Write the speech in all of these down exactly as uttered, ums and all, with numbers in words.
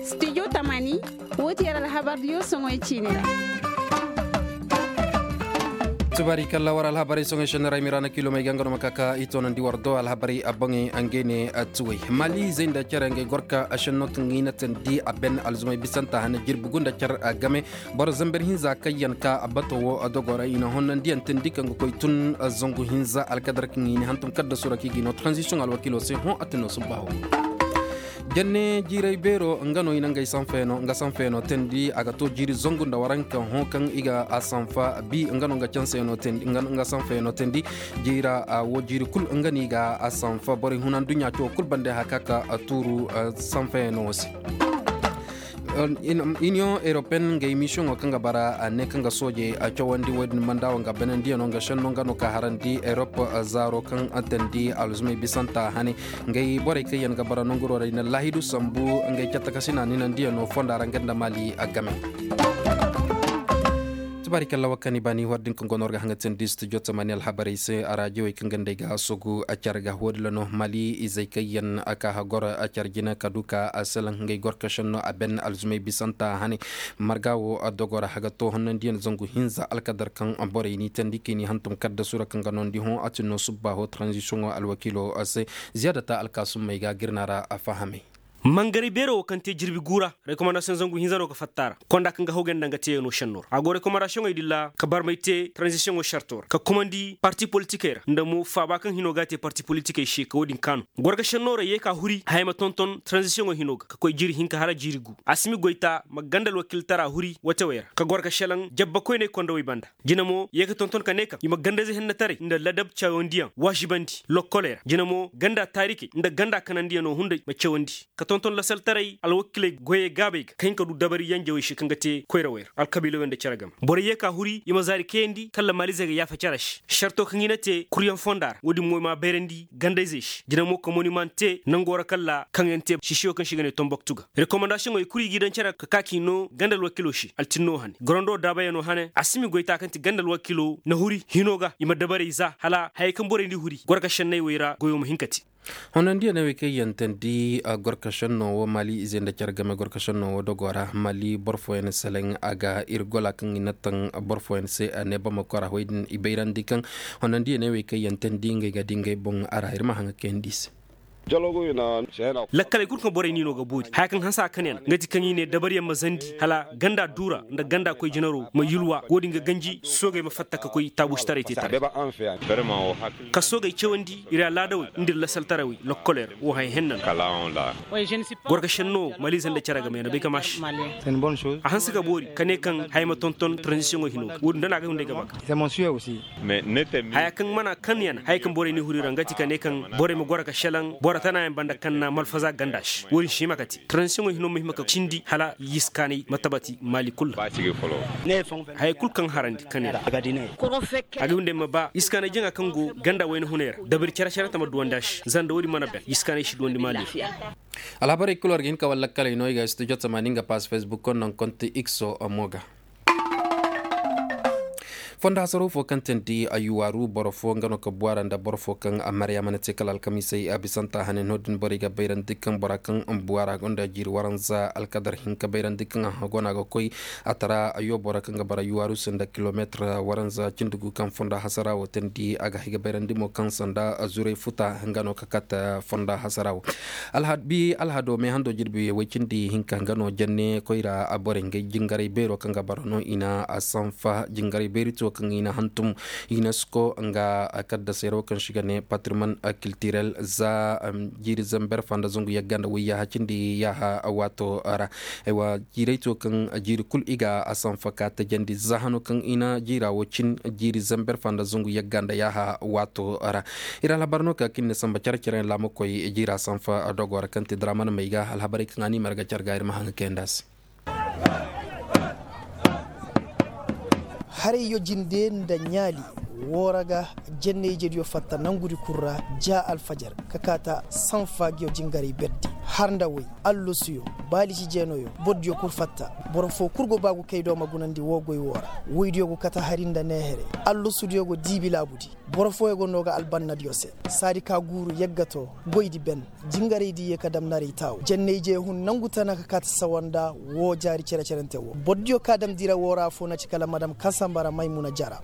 Studio tamaani, wo ti yar alhabar diyo soŋoy ciine ra. Tubaari kalla war alhabarey soŋoy senna ra i ma i ra na kiilomey ga nga no ma ka ka i toonandi war do alhabarey a boŋey. Ngey ne tuwey mali izey nda care ngey gorka senno kaŋ i na tandi a ben alzumey bisanta hane jirbi gu nda care game. Boro zamber hinza kaŋ yaŋ ka bato wo dogo ra i na honnandiyaŋ tandi kaŋ ga koy tun zangu hinza alkadar kaŋ i ne hantum kadda sura kaŋ i ga no transition alwakiilo se hõ a tun no subba hõ. Janne jiiray beero nga no i na ngey sanfeyaŋo nga sanfeyaŋo tandi a ga to jiiri zangu nda waranka hõ kaŋ i ga a sanfa bi nga no nga canseyaŋo tandi nga sanfeyaŋo tandi. Jiira wo jiiri kulu nga no i ga a sanfa borey huna nduɲɲa cawo kulu bande haka ka tuuru sanfeyaŋo se. Iniyoŋ eropen nga emisiyoŋo kaŋ ga bara ne kaŋ ga sooje cawandi wo- din manda wo nga banandiyaŋo nga senno nga no ka harandi erop zaaro kaŋ tandi alzumey bisanta hane. Ngey borey kaŋ yaŋ ga bara nanguro ra i na laahidu sambu ngey cattakasina ninandiyaŋo fonda ra nga nda maali game. Tubaari kalla wakani baani war din kaŋ go no war ga haŋa tandi studio tamani alhabarey se a raajowey kaŋ ga nd'ey ga sogu care ga wo- din ra no maali izey kaŋ yaŋ a ka hagoro care jina ka du ka a selaŋ ngey gorka senno a ben alzumey bisanta hane. Marga wo dogo ra haga to honnandiyaŋ zangu hinza alkadar kaŋ borey n'i tandi kaŋ i n'i hantum kadda sura kaŋ ga noondi hõ a tun no subba hõ transition wo alwakiilo se. Ziyaadata alkaasummey ga girna ra a fahamey. Mangaray beero wo kaŋ te jirbi guura rekomandasiyoŋ zangu hinza no ga fatta a ra konda kaŋ ga hawgay nda nga teeyaŋo senno ra a go rekomandasiyoŋey din ra ka barmay te tranzisiyoŋo sarto ra ka kumandi parti politikey ra nda mo faaba kaŋ hino ga a te parti politikey se ka wo- din kaanu. Gorga senno ra ye ka huri haya ma tonton tranzisiyoŋo hino ga ka koy jiiri hinka hala jiiri gu a si ma goyta ma ganda alwakiiltara huri watewey ra ka gorga selaŋ jabba koyney kondawey banda. Jina mo ye ka tonton ka ne kaŋ i ma gandayze hennetaray nda ladab cawandiyaŋ waasibandi lokkoley ra jina mo ganda taarikey nda ganda kanandiyaŋo hunday ma cawandi ka tonton lasaltaray alwakiley goyey gaabey ga ka hin ka du dabari yanjawey se kaŋ ga te koyrawey ra alkabiilawey nda care game borey ye ka huri i ma zaari kayandi kala maalizey ga yaafa care se sarto kaŋ i na te kuryaŋ fonda ra wo- din mo i m'a bayrandi gandayzey se jina mo ka moniman te nango ra kala kaŋ yaŋ te sisiyo kaŋ se i ga ne tomboktu ga rekomandasiyoŋey kulu i g'i daŋ care ka ka k'i no ganda alwakilo se altinno hane gorando daabayano hane a si ma i goy ta kaŋ ti ganda alwakilo na huri hino ga i ma dabarey za hala hayey kaŋ borey n'i huri gorka senney wey ra goyo ma hin ka te. Honandiyaŋ ne wey kaŋ yaŋ tandi gorka senno wo maali ize nda care game gorka senno wo dogo ra maali boro fooyaŋ seleŋ a ga iri gola kaŋ i na taŋ boro fooyaŋ se a ne bamako ra wey din i bayrandi kaŋ honandiyaŋ ne wey kaŋ yaŋ tandi ngey ga di ngey boŋ a ra iri ma haŋ ga kayandi i se. Lakkaley kulu kaŋ borey n'i no ga boori haya kaŋ hanse a kanayaŋ nga ti kaŋ i ne dabariyaŋ ma zandi hala ganda duura nda ganda koy jinaro ma yulwa wo- din ga ganji soogey ma fatta ka koy taabuusitaray te taray. Ka soogey cawandi iri alaadawey nda iri lasaltarawey lokkoley ra wo haya henna no. Gorka senno maliize nda care game yaŋ na bay ka maashi. A hanse ka boori ka ne kaŋ haya ma tonton taranzisiyoŋo hino ga wo- din da no a ga hunday ga ba ka haya kaŋ mana kaŋ yaŋ haya kaŋ borey n'i huri ra nga ti ka ne kaŋ borey ma goro ka selaŋ boro tana yaŋ banda kaŋ na malfaza ganda se wo- din si hima ka te taranzisiyoŋo hino ma hima ka cindi hala yiskaanay ma tabati maali kulu ra. Hayey kulu kaŋ harandi kaŋ yaŋ a ga hunday ma ba yiskaanay jaŋa kaŋ go ganda wayna hunay ra dabari care care tama duwandi a se zanda wo- din mana ben yiskaanay si duwandi maali ra. Alhabarey kulu war ga hin ka wallakkaley no i ga studio tamaani nga pass facebook konno nga konti x o mo ga. Fondo hasaro fo kaŋ tandi a yuwaaru boro fo nga no ka buwaara nda boro fo kaŋ a maryaama na te kala alkamiisey a bisanta hane no- din borey ga bayrandi kaŋ bora kaŋ buwaara gonda jiiri waranza alkadar hinka bayrandi kaŋ a go no a ga koy a tara a yoobora kaŋ ga bara yuwaaru se nda kilomeetir waranza cindi gu kaŋ fondo hasara wo tandi a ga hay ga bayrandi mo kaŋ sanda zuray futa nga no ka kate fondo hasara wo. Alhado me hando jirbi way cindi hinka nga no janne koyra a borey ngey jingaray beero kaŋ ga bara no i na a sanfa jingaray beeri to kaŋ i na hantum. Unesco nga kaddasey ra wo kaŋ se i ga ne patrimoine culturel za jiiri zamber fanda zangu yagga nda wayyaha cindi yaaha waato ra. Jiiray to kaŋ jiiri kulu i ga a sanfa ka tajandi za hano kaŋ i na jiira wo cin jiiri zamber fanda zangu yagga nda yaaha waato ra. Iri alhabar no ka kaŋ i na samba care care yaŋ laamakoy jiira sanfa dogo ra kaŋ ti daraman may ga alhabarey kaŋ a ni marga care ga iri ma haŋ ga kayandi a se. Harayyo jinde nda ɲaali woo ra ga jenne-ijediyo fatta nangudi kul ra ja alfajar ka kaata sanfa ngiyo jingarey berdi. Har nda way, allusuyo, baalisi jeenoyo, boro diyo kulu fatta. Boro fo kulu go ba gu kay do ma gunandi wo goy wo ra. Woydiyo go kate hari nda neehere. Allusudiyo go diibi laabu di. Boro fooyaŋ go no ga albannadiyo se. Saadi ka guuru yaggato, goy di ben. Jingaray di ye ka dam naray taawo janney je hun nangu tana ka kaati sawanda. Wo jaari cere-cerante wo boro diyo ka dam dira wo ra afo na ci kala madam kansambara maymuna jara.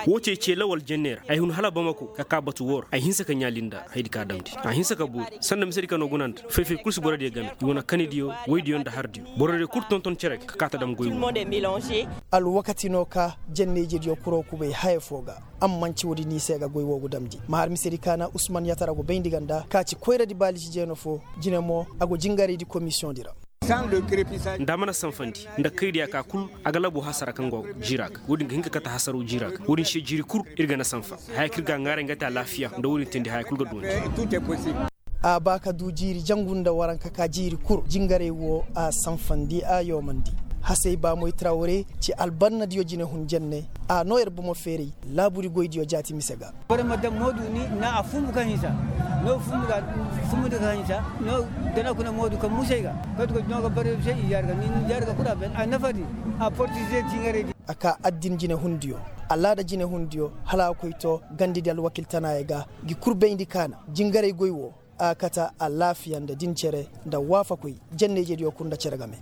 Wo ce ce lawal janney ra ay hun hala bamako ka ka batu wo ra ay hinsa ka ɲaali nda haydi ka damndi. A hinsa ka booru sanda misedi ka no guna nda fay-fay kulu si boro diyo game i wane kanidiyo woydiyo nda hardiyo. Boro diyo kulu tonton cere ka kaati dam goy wo. Alwakati no ka janney je diyo kuro kubay haya fo ga. Amma manci wo- din no i se ga goy wo ga damndi ma har misedi kaana usman yatara go bayndi ganda ka ci koyradi baalisi jeeno fo. Jine mo a go jingaraydi komisiyoŋ di ra. Nda a mana sanfandi nda kaydiya ka kulu a ga labo hasara kaŋ go jiira ga wo- din ga hin ka kate hasaro jiira ga wo- din se jiiri kulu. Iri ga na sanfa haya kaŋ iri ga a ŋwaaray nga te alaafiya nda wo- din teendi haya kulu ga doonti. A ba ka du jiiri jangu nda waranka ka jiiri kulu jingaray wo a sanfandi a yoomandi. Hasay baamoy trawre ci albannadiyo jinehun jenne. A no iri bomo feeray laabu di goydiyo jaati mise ga. Boro ma daŋ moodu ni na a fumbu ka hinsa no fumbu ga fumbu di ka hinsa no. Dana kuna moodu ka musay ga katu ka no ga bare se i jaari ga ni jaari ga kulu a ben a nafa di. A portize jingaray di. A ka addin jinehundiyo alaada jinehundiyo hala a koy to gandi di alwakiltanaayey ga. Gi kulu bayndi kaana jingaray goy wo. A kata alaafiya nda din cere nda waafakoy janney je diyo kulu nda cere game.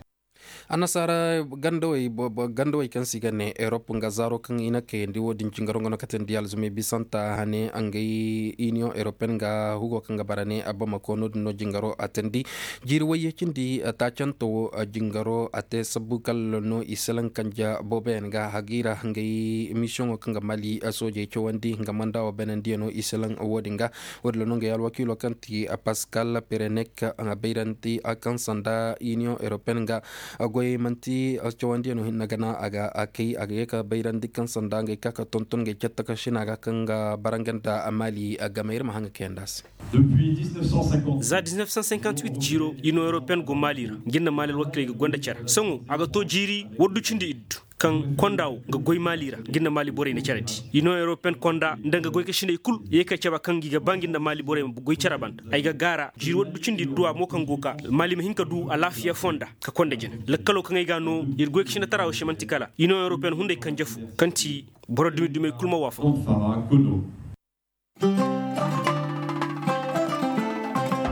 Annasaara gandawey kaŋ se i ga ne erop nga zaaro kaŋ i na kayandi wo- din jingaro nga no katandi alzumey bisanta hane ngey iniyoŋ eropen ga hugo kaŋ ga bara ne abamako no- din no jingaro a tandi. Jiiri wayye cindi taacanto wo jingaro a te sabbu kala no i salaŋ kanja booboyaŋ ga hagiira ngey misiyoŋo kaŋ ga mali soojey cawandi nga manda wo beenandiyano i salaŋ wo- din ga. Wo- din ra no ngey alwakiilo kaŋ ti paskal perenek a bayrandi kaŋ sanda iniyoŋ eropen ga goy manti cawandiyano hinne gana a ga a kay a ga ye ka bayrandi kaŋ sanda ngey ka ka tonton ngey catta ka sina ga kaŋ ga baranga nda mali game iri ma haŋ ga kayandi a se. Za dix-neuf cent cinquante-huit jiiro iniyoŋ eropen go mali ra. Jinda mali alwakiiley ga gonda care sohõ a ga to jiiri waddu cindi iddu kaŋ konda wo ga goy maali ra nga nda maali borey na care di. Iniyoŋ eropen konda nda nga goy kasiney kulu ye kay cabe kaŋ i ga ba nga nda maali borey ma goy care banda ay ga gaara jiiri waddu cindi idduwa mo kaŋ go ga ka maali ma hin ka du alaafiya fonda ka konda jina. Lakkalo kaŋ ay ga a no iri goy kasinatara wo se manti kala iniyoŋ eropen hunday kanje fo kaŋ ti boro dumi dumey kulu ma waafaku.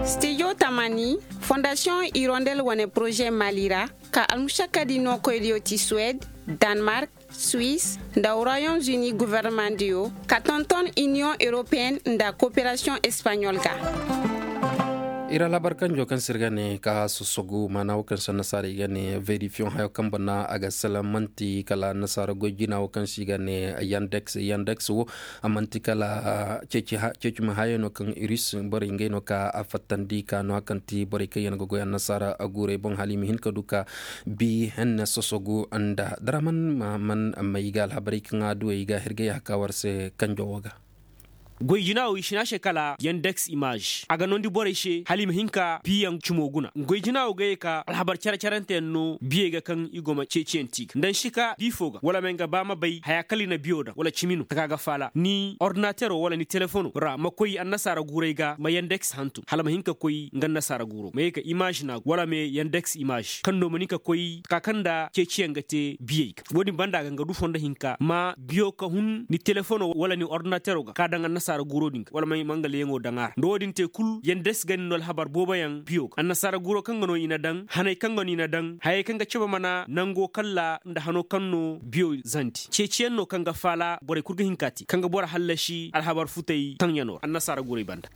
Studio tamani fondasiyoŋ hirondel wane poroze mali ra ka almusakkadi nookoydiyo ti suwed, danmark, suwis, nda royaume-uni governemandiyo ka tonton iniyoŋ europeyenne nda kooperasiyoŋ espaɲol ga. Iri alhabar kanjo kaŋ se iri ga ne ka sosogu maana wo kaŋ se annasaara i ga ne verifiyoŋ hayo kaŋ bana a ga salaŋ manti kala annasaara goy jina wo kaŋ se i ga ne yandeks yandeks wo. A manti kala ceeci ma hayo no kaŋ iris borey ngey no ka a fattandi ka no a kaŋ ti borey kaŋ yaŋ ga goy annasaara guurey boŋ hala i ma hin ka du ka bi henne sosogu nda daraman maman ma i ga alhabarey kaŋ a duwey ga hirgay a ka war se kanjo wo ga. Goy jina wo i sina se kala yandeks image a ga nondi borey se hala i ma hin ka biyaŋ cimo guna goy jina wo ga ye ka alhabar care carante yaŋ no biyey ga kaŋ i go ma ceeciyaŋ ti ga nda ni si ka bi fo ga wala ma nga ba ma bay haya kala i na biyo daŋ wala cimi no taka ga faala ni ordinatero wala ni telefono ra ma koy annasaara guurey ga ma yandeks hantum hala ma hin ka koy nga annasaara guuro ma ye ka image na wala ma yandeks image kaŋ no ma ni ka koy taka kaŋ nda ceeciyaŋ ga te biyey ga wo- din banda ga nga du fondo hinka ma biyo ka hun ni telefono wala ni ordinatero ga ka daŋ annasaara guuro din ga wala ma nga leeyaŋo daŋ a ra nda wo- din te kulu yandeks ga ni no alhabar booboyaŋ biyo ga annasaara guuro kaŋ ga no i na daŋ haney kaŋ ga no i na daŋ hayey kaŋ ga cabe mana nango kalla nda hano kaŋ no biyo zandi ceeciyaŋ no kaŋ ga faala borey kulu ga hin ka te kaŋ ga boro hallasi alhabar futey taŋyano ra annasaara guurey banda.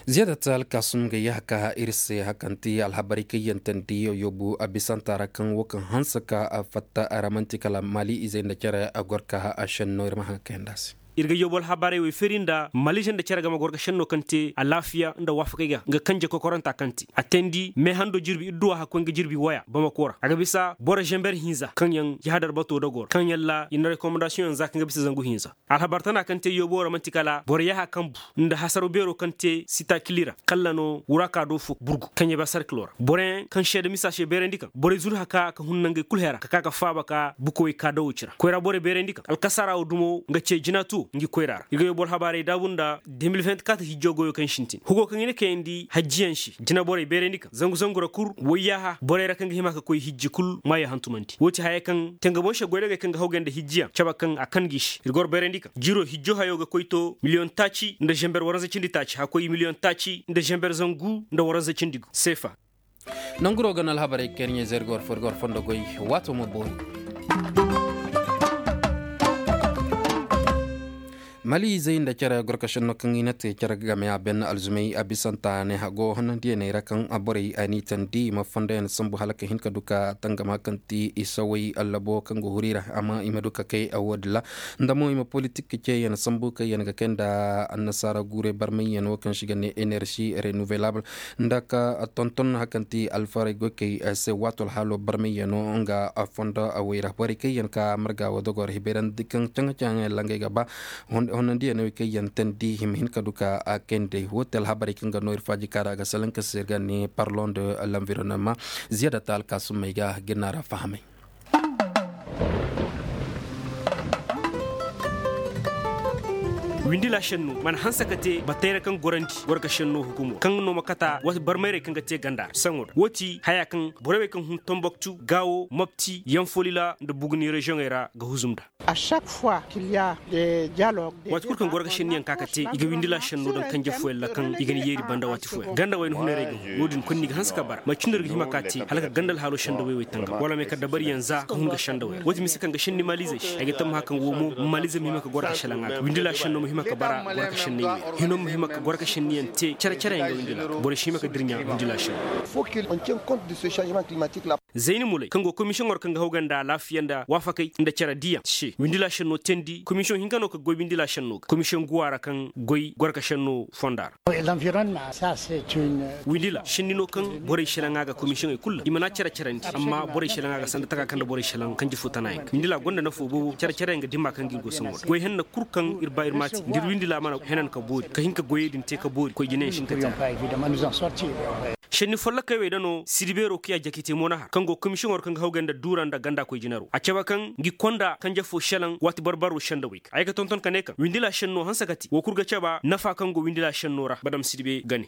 Ziyaadat alkaasum ga yahaka iri se hakanti alhabarey kaŋ yantandi yoyobu a bisanta ra kaŋ wo kaŋ hanse ka fatta a ra manti kala maali izey nda care a goro ka a senno iri ma haŋ kayandi a se. Iri ga yobo alhabarey wo i feeri nda malize nda care game goro ga senno kaŋ te alaafiya nda waafakey ga nga kanje kokoranta kaŋ te a teendi me hando jirbi idduwa hakkoy nga jirbi waya bamako ra a ga bisa boro zember hinza kaŋ yaŋ jahadar bato dogor kaŋ yaŋ ra i na rekomandasiyoŋ yaŋ za kaŋ ga bisa zangu hinza. Alhabar tana kaŋ te yobo ra manti kala boro yaha kaŋ bu nda hasaro beero kaŋ te sita kili ra kalla no wura ka do fo burgu kaŋ ya ba sarkilo ra boroyaŋ kaŋ seeda misa se beerandi kaŋ borey zuru haka ka hun nangey kulu hera ka ka ka faaba ka bukowey ka dawo ci ra koyra borey beerandi kaŋ alkasara wo dumo nga ce jina tuwo. Ngi koyra ra iri ga yoy boro habaarey daabu nda de mil vingt-quatre hijjo goyo kaŋ sintin hugo kaŋ i na kayandi hajjiyaŋ se jina borey beerandi kaŋ zangu zangu ra kulu wayyaaha borey ra kaŋ ga hima ka koy hijji kulu maayo hantumandi wo ti haya kaŋ tangabonse goydagey kaŋ ga hawgay nda hijjiyaŋ cabe kaŋ a kan ga i se iri goro beerandi kaŋ jiro hijjo hayo ga koy to miliyoŋ taaci nda zamber waranza cindi taaci haka koy miliyoŋ taaci nda zamber zangu nda waranza cindi gu seefa. Nanguro ga no alhabarey kaŋ iri ɲayze iri ga war fo iri ga war fondo goy. Waato ma boori. Mali izey nda care gorkasinno kaŋ i na te care game a ben alzumey a bisanta ne hago honnandiyaney ra kaŋ borey a n'i tandi i ma fondoyaŋ sambu hala ka hin ka du ka tangama kaŋ ti i saway allabo kaŋ go huri ra amma i ma du ka kay a wo- din ra. Nda mo i ma politik ceeyaŋ sambu kaŋ yaŋ ga kay nda annasaara guurey barmayyaŋ wo kaŋ se i ga ne enersi renouvelable nda ka tonton hari kaŋ ti alfarey goykey se waato alhaalo barmayyaŋo nga fondo wayra borey kaŋ yaŋ ka marga wo dogor hibayrandi kaŋ caŋ-caŋ yaŋ langey ga ba honnandiyaŋ wo kaŋ yaŋ tandi hima hin ka du ka kayndi wo ti alhabarey kaŋ ga no iri faaji kaara ga salaŋ ka se iri ga ne parlon de l'environnement. Ziyada ta alkaasumey ga ga iri no a ra fahamay. Windila senno mana hanse ka te batayra kaŋ gorandi gorka senno hukumo kaŋ no ma kata wata barmayrey kaŋ ga te ganda saŋo da wo ti haya kaŋ borey wey kaŋ hun tomboktu gaawo mopti yanfolila nda buguni reziyoŋey ra ga huzum nd'a. Waati kulu kaŋ gorka senniyaŋ ka ga te i ga windila senno daŋ kanje fooyaŋ ra kaŋ i ga ni yeeri banda waati fooyaŋ ganda wayna hunarey ga hun no- din kulu no i ga hanse ka bara manti no iri ga hima ka te hala ka ganda alhaalo sendawey wey tangam wala ma ye ka dabariyaŋ za ka hun ga sendawey ra wo- din mise kaŋ ga senni maaliizey se ay ga tammaha kaŋ wo mo maaliize ma hima ka goro ka selaŋ a ga windila senno ma hima ka bara goro ka senney wey ra hino ma hima ka goro ka senniyaŋ te care care yaŋ ga windila borey si hima ka dirɲa windila senno. Zayni mulay kaŋ go komisiyoŋo ra kaŋ ga hawgay nda alaafiya nda waafakey nda care diyaŋ se windila senno teendi komisiyoŋ hinka no kaŋ goy windila senno ga komisiyoŋ guwa ra kaŋ goy goro ka senno fonda ra. Windila senni no kaŋ borey selaŋ a ga komisiyoŋey kulu ra i mana care carandi amma borey selaŋ a ga sanda taka kaŋ nda borey selaŋ kanji fo tana yaŋ ga windila gonda nafo boobo care care yaŋ ga dimma kaŋ ga iri go saŋo ra goy henna kulu kaŋ iri ba iri ma a te nda iri windila mana henan ka boori ka hin ka goyey din te ka boori koy jinayaŋ si hin ka te a ra. Senni folloka wey da no sidi beero kiya jakite mo na har kaŋ go komisiyoŋo ra kaŋ ga hawgay nda duura nda ganda koy jinaro a cabe kaŋ ngi konda kanje fo selaŋ waati barbaro sendawey ga ay ga tonton ka ne kaŋ windila senno hanse ka te wo kulu ga cabe nafa kaŋ go windila senno ra badam sidi be ga ne.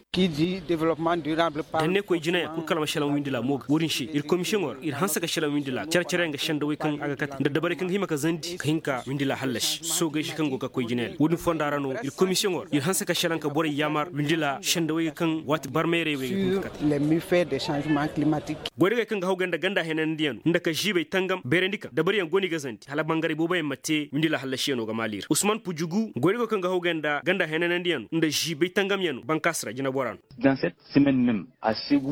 Danne koy jinayaŋ kulu kala ma selaŋ windila mo ga wo- din se iri komisiyoŋo ra iri hanse ka selaŋ windila care care yaŋ ga sendawey kaŋ a ga kate nda dabarey kaŋ ga hima ka zandi ka hin ka windila hallasi soogey se kaŋ go ga koy jinayaŋ wo- din fonda ra no iri komisiyoŋo ra iri hanse ka selaŋ ka borey yaamar windila sendawey ga kaŋ waati barmayrey wey ga hin ka kate. Goydagey kaŋ ga hawgay nda ganda henanandiyaŋ no nda ka ziibey tangam beerandi kaŋ dabariyaŋ go no i ga zandi hala bangaray booboyaŋ ma te windila hallasiyano ga maali ra usman pujugu goydago kaŋ ga hawgay nda ganda henanandiyaŋ no nda ziibay tangamyaŋ no bankaasi ra jinabora no.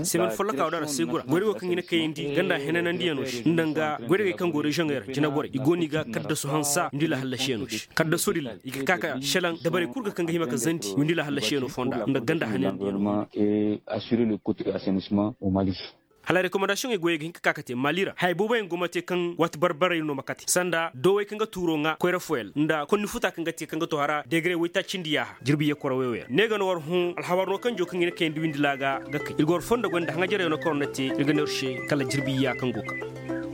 Semen folloka wo da ra seegu ra goydago kaŋ ga ne kayandi ganda henanandiyaŋ no se nda nga goydagey kaŋ go reziyoŋey ra jinaborey i go no i ga kaddasu hansa windila hallasiyano se kaddaso din ra i ga ka ka selaŋ dabarey kulu ga kaŋ ga hima ka zandi windila hallasiyano fonda nda ganda henanandiyaŋ no. Hala rekomandasiyoŋey goyey ga hin ka ka ka te maali ra hayey boobo yaŋ go ma te kaŋ waati barbarey no ma kate sanda dowey kaŋ ga tuuro ŋwa koyra fooyaŋ nda konni futa kaŋ ga te kaŋ ga to hara degre waytaaci nda yaaha jirbi ye koro way-way ra ne ga no war hõ alhabar no kaŋ jo kaŋ i na kayandi windi laaga ga kay iri ga war fondo goy nda haŋajarey no kaŋ war na te iri ga ne war se kala jirbi ya kaŋ go ga ka.